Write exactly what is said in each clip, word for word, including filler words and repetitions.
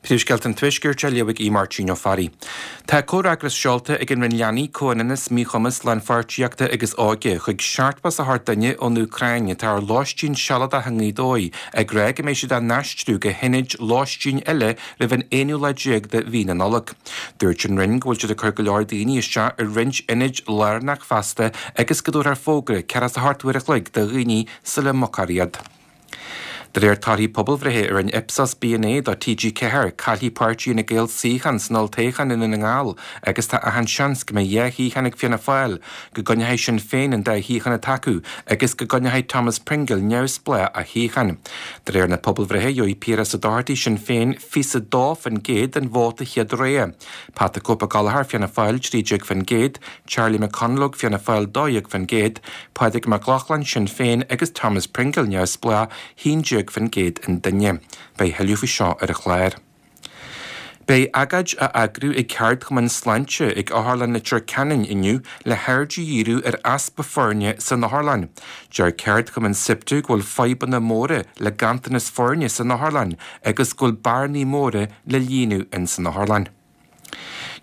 Príomhscéalta an Tuaiscirt á léamh ag Máirtín Ó Fearraigh. Tá comhfhreagras seolta ag an Roinn Leanaí, Comhionannas, Míchumas, Lánpháirtíochta agus Óige chuig seachtó is a hocht duine ón Úcráin atá ar lóistín sealadach i nGaoth Dobhair ag rá go mbeidh siad á n-aistriú go hionaid lóistín eile roimh an aonú lá déag de mhí na Nollag. Dúirt an Roinn go bhfuil siad ag cur go leor daoine isteach i roinnt ionaid lárnach feasta agus go dtabharfar fógra ceathracha is a hocht uair a chloig do dhaoine sula mbogfar iad. De réir torthaí pobalbhreithe a rinne Ipsos B N A do T G ceathair, caillfidh páirtí Fhine Gael suíochán san olltoghchán i nDún na nGall agus tá achan seans go mbeidh dhá shuíochán ag Fianna Fáil, go gcoinneoidh Sinn Féin an dá shuíochán atá acu agus go gcoinneoidh Thomas Pringle neamhspleách a shuíochán. De réir na pobalbhreithe, gheobhaidh Piaras Ó Dochartaigh Sinn Féin fiche dó faoin gcéad den vóta chéad rogha. Pat the Cope Gallagher Fianna Fáil trí déag faoin gcéad, Charlie McConalogue Fianna Fáil dó dhéag faoin gcéad, Pádraig Mac Lochlainn Sinn Féin agus Thomas Pringle neamhspleách haon déag faoin gcéad an duine. Beidh tuilleadh faoi seo ar an chlár. Beidh agóid á eagrú ag Ceardchumann Sláinte ag Otharlann Leitir Ceanainn inniu le haird a dhíriú ar easpa foirne san otharlann. Deir Ceardchumann SIPTU go bhfuil fadhbanna móra le ganntanas foirne san otharlann agus go bhfuil bearnaí móra le líonadh in san otharlann.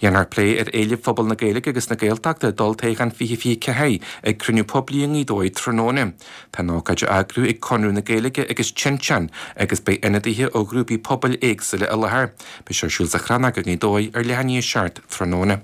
Dhéanfar plé ar éilimh phobal na Gaeilge agus na Gaeltachta d'olltoghchán fiche fiche ceathair ag cruinniú poiblí i nGaoth Dobhair tráthnóna. Tá an ócáid á eagrú ag Conradh na Gaeilge agus Tinteán agus beidh ionadaithe ó ghrúpaí pobail éagsúla i láthair. Beidh sé ar siúl sa Chrannóg i nGaoth Dobhair ar leath i ndiaidh a seacht tráthnóna.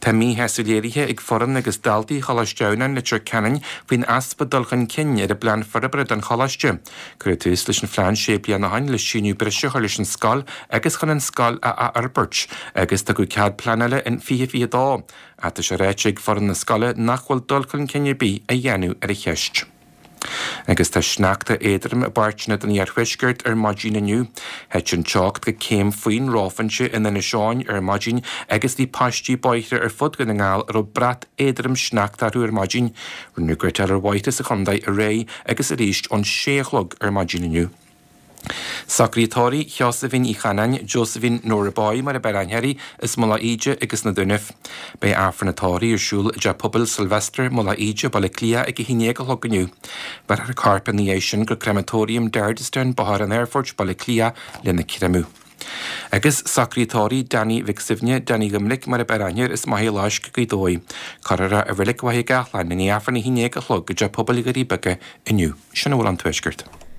Tá míshásamh léirithe ag foireann agus daltaí Choláiste Adhamhnáin Leitir Ceanainn faoin easpa dul chun cinn ar an bplean forbartha don choláiste. Cuireadh tús leis an phlean sé bliana ó shin le síneadh breise a chur leis an scoil agus chun an scoil a athfhorbairt, agus tugadh cead pleanála in fiche fiche dó. Tá sé ráite ag foireann na scoile nach bhfuil dul chun cinn ar bith á dhéanamh ar an cheist. Agus tá sneachta éadrom i bpáirteanna den iarthuaisceart ar maidin inniu. Thit an teocht go céim faoin reophointe in Inis Eoghain ar maidin agus bhí paistí bóithre ar fud Dhún na nGall a raibh brat éadrom sneachta orthu ar maidin. Rinneadh gréasáil ar bhóithre sa chontae aréir agus arís ón sé a chlog ar maidin inniu. Socruithe tórraimh Sheosaimhín Uí Chanáin, Josephine Nora Boy mar ab fhearr aithne uirthi, as Mullach Íde agus na Dúnaibh. Beidh Aifreann an tórraimh ar siúl i dTeach Pobail Sylvester, Mullach Íde, Baile Átha Cliath ag a haon déag a chlog inniu. Beirfear a corp ina dhiaidh sin go Crematorium Dardistown, Bóthar an Aerfoirt, Baile Átha Cliath lena chreamadh. Agus socruithe tórraimh Danny Mhic Suibhne, Danny Dhoiminic mar ab fhearr aithne air as Machaire Fhláisc, Gaoth Dobhair. Cuirfear é i Reilig Mhachaire Gathlán i ndiaidh Aifreann a haon déag a chlog i dTeach Pobail Dhoirí Beaga inniu. Sin a bhfuil ón Tuaisceart.